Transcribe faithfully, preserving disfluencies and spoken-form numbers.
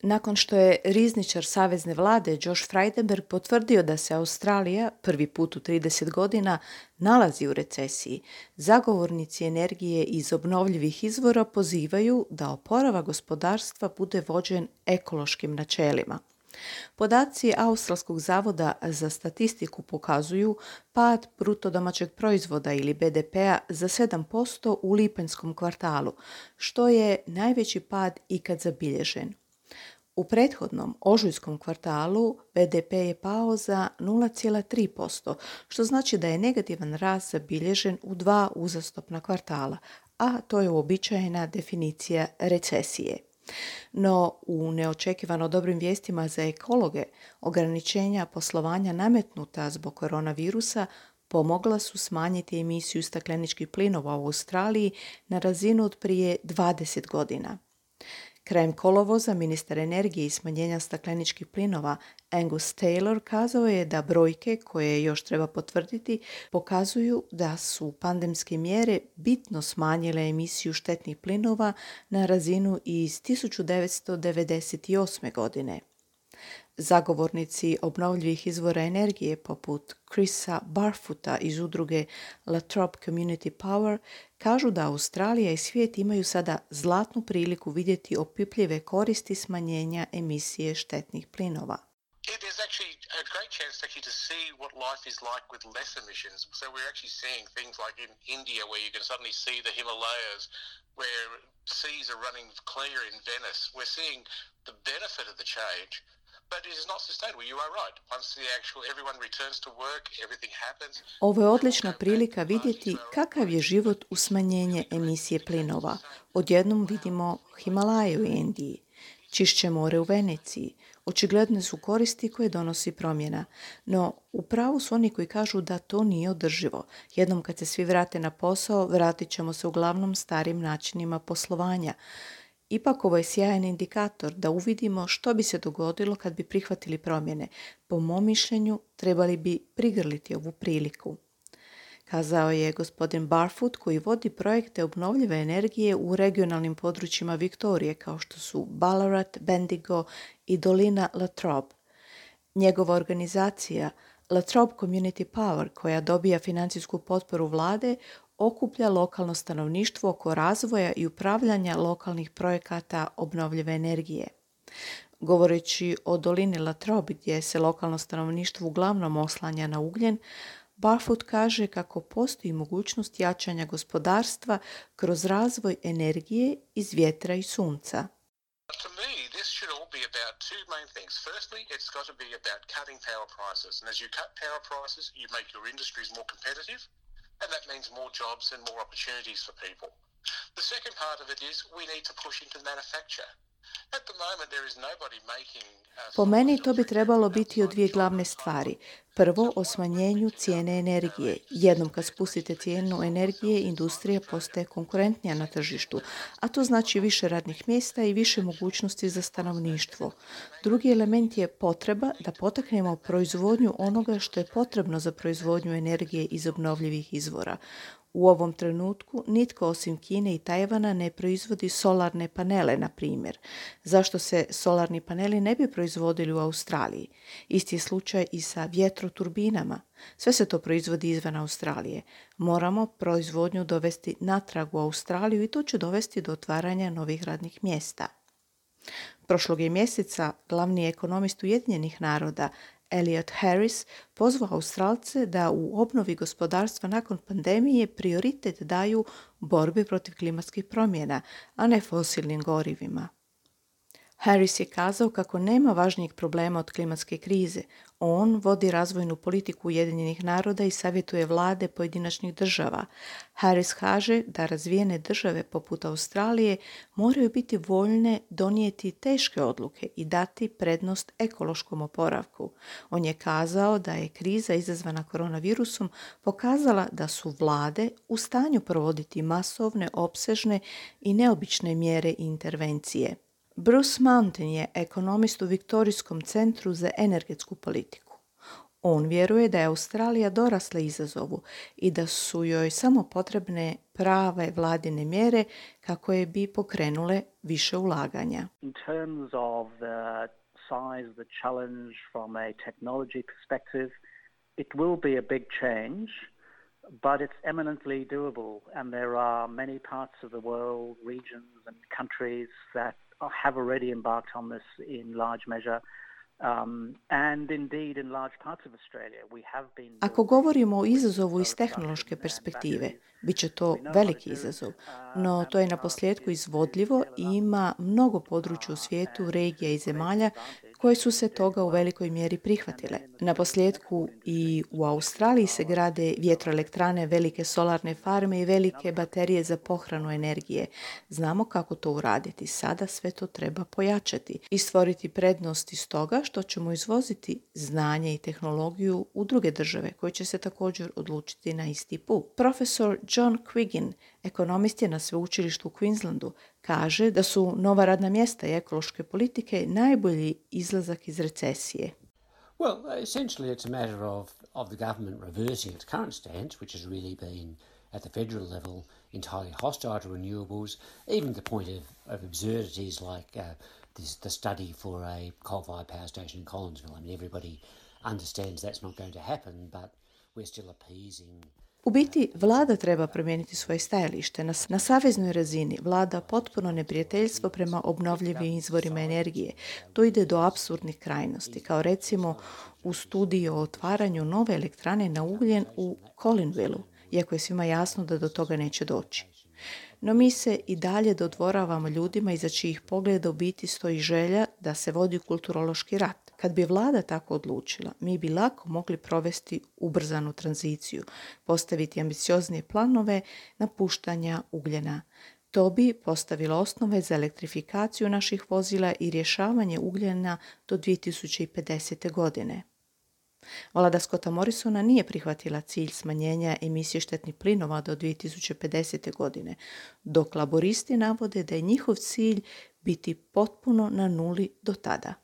Nakon što je rizničar savezne vlade Josh Frydenberg potvrdio da se Australija, prvi put u trideset godina, nalazi u recesiji, zagovornici energije iz obnovljivih izvora pozivaju da oporavak gospodarstva bude vođen ekološkim načelima. Podaci Australskog zavoda za statistiku pokazuju pad bruto domaćeg proizvoda ili be de pea za sedam posto u lipanjskom kvartalu, što je najveći pad ikad zabilježen. U prethodnom ožujskom kvartalu be de pe je pao za nula zarez tri posto, što znači da je negativan rast zabilježen u dva uzastopna kvartala, a to je uobičajena definicija recesije. No, u neočekivano dobrim vijestima za ekologe, ograničenja poslovanja nametnuta zbog koronavirusa pomogla su smanjiti emisiju stakleničkih plinova u Australiji na razinu od prije dvadeset godina. Krajem kolovoza ministar energije i smanjenja stakleničkih plinova Angus Taylor kazao je da brojke, koje još treba potvrditi, pokazuju da su pandemske mjere bitno smanjile emisiju štetnih plinova na razinu iz tisuću devetsto devedeset osme. godine. Zagovornici obnovljivih izvora energije poput Chrisa Barfoota iz udruge La Trobe Community Power kažu da Australija i svijet imaju sada zlatnu priliku vidjeti opipljive koristi smanjenja emisije štetnih plinova. It is actually a great chance actually to see what life is like with less emissions. So we're actually seeing things like in India where you can suddenly see the Himalayas, where seas are running clear in Venice. We're seeing the benefit of the change, but it is not sustainable. You are right. Once the actual everyone returns to work, everything happens. Ovo je odlična prilika vidjeti kakav je život u smanjenje emisije plinova. Odjednom vidimo Himalaje u Indiji, čišće more u Veneciji. Očigledne su koristi koje donosi promjena, no u pravu su oni koji kažu da to nije održivo. Jednom kad se svi vrate na posao, vratit ćemo se uglavnom starim načinima poslovanja. Ipak ovo je sjajan indikator da uvidimo što bi se dogodilo kad bi prihvatili promjene. Po mom mišljenju, trebali bi prigrliti ovu priliku, kazao je gospodin Barfoot, koji vodi projekte obnovljive energije u regionalnim područjima Viktorije kao što su Ballarat, Bendigo i dolina La Trobe. Njegova organizacija La Trobe Community Power, koja dobija financijsku potporu vlade, okuplja lokalno stanovništvo oko razvoja i upravljanja lokalnih projekata obnovljive energije. Govoreći o dolini La Trobe, gdje se lokalno stanovništvo uglavnom oslanja na ugljen, Barfoot kaže kako postoji mogućnost jačanja gospodarstva kroz razvoj energije iz vjetra i sunca. To me, this should all be about two main things. Firstly, it's got to be about cutting power prices. And as you cut power prices, you make your industries more competitive, and that means more jobs and more opportunities for people. The second part of it is we need to push into manufacture. At the moment, there is nobody making... Uh, Po meni to bi trebalo biti o dvije glavne stvari. Prvo, o smanjenju cijene energije. Jednom kad spustite cijenu energije, industrija postaje konkurentnija na tržištu, a to znači više radnih mjesta i više mogućnosti za stanovništvo. Drugi element je potreba da potaknemo proizvodnju onoga što je potrebno za proizvodnju energije iz obnovljivih izvora. U ovom trenutku nitko osim Kine i Tajvana ne proizvodi solarne panele, na primjer. Zašto se solarni paneli ne bi proizvodili u Australiji? Isti je slučaj i sa vjetroturbinama. Sve se to proizvodi izvan Australije. Moramo proizvodnju dovesti natrag u Australiju i to će dovesti do otvaranja novih radnih mjesta. Prošlog je mjeseca glavni ekonomist Ujedinjenih naroda Elliot Harris pozvao Australce da u obnovi gospodarstva nakon pandemije prioritet daju borbi protiv klimatskih promjena, a ne fosilnim gorivima. Harris je kazao kako nema važnijeg problema od klimatske krize. On vodi razvojnu politiku Ujedinjenih naroda i savjetuje vlade pojedinačnih država. Harris kaže da razvijene države poput Australije moraju biti voljne donijeti teške odluke i dati prednost ekološkom oporavku. On je kazao da je kriza izazvana koronavirusom pokazala da su vlade u stanju provoditi masovne, opsežne i neobične mjere i intervencije. Bruce Mountain je ekonomist u Viktorijskom centru za energetsku politiku. On vjeruje da je Australija dorasla izazovu i da su joj samo potrebne prave vladine mjere kako je bi pokrenule više ulaganja. In terms of the size, the challenge from a technology perspective, it will be a big change, but it's eminently doable, and there are many parts of the world, regions and countries that have already embarked on this in large measure. Um, and indeed in large parts of Australia we have been... Ako govorimo o izazovu iz tehnološke perspektive, bit će to veliki izazov, no to je na posljedku izvodljivo i ima mnogo područja u svijetu, regija i zemalja koje su se toga u velikoj mjeri prihvatile. Na posljedku i u Australiji se grade vjetroelektrane, velike solarne farme i velike baterije za pohranu energije. Znamo kako to uraditi. Sada sve to treba pojačati i stvoriti prednost iz toga što ćemo izvoziti znanje i tehnologiju u druge države koje će se također odlučiti na isti put. Profesor John Quiggin, ekonomist je na sveučilištu u Queenslandu, kaže da su nova radna mjesta i ekološke politike najbolji izlazak iz recesije. Well, essentially it's a matter of, of the government reversing its current stance, which has really been at the federal level entirely hostile to renewables, even to the point of, of absurdities like uh, this, the study for a coal-fired power station in Collinsville. I mean, everybody understands that's not going to happen, but we're still appeasing. U biti, vlada treba promijeniti svoje stajalište. Na, na saveznoj razini vlada potpuno neprijateljstvo prema obnovljivim izvorima energije. To ide do apsurdnih krajnosti, kao recimo u studiji o otvaranju nove elektrane na ugljen u Collinvilleu, iako je svima jasno da do toga neće doći. No mi se i dalje dodvoravamo ljudima iza čijih pogleda u biti stoji želja da se vodi kulturološki rat. Kad bi vlada tako odlučila, mi bi lako mogli provesti ubrzanu tranziciju, postaviti ambicioznije planove napuštanja ugljena. To bi postavilo osnove za elektrifikaciju naših vozila i rješavanje ugljena do dvije tisuće pedesete. godine. Vlada Scotta Morrisona nije prihvatila cilj smanjenja emisije štetnih plinova do dvije tisuće pedesete. godine, dok laboristi navode da je njihov cilj biti potpuno na nuli do tada.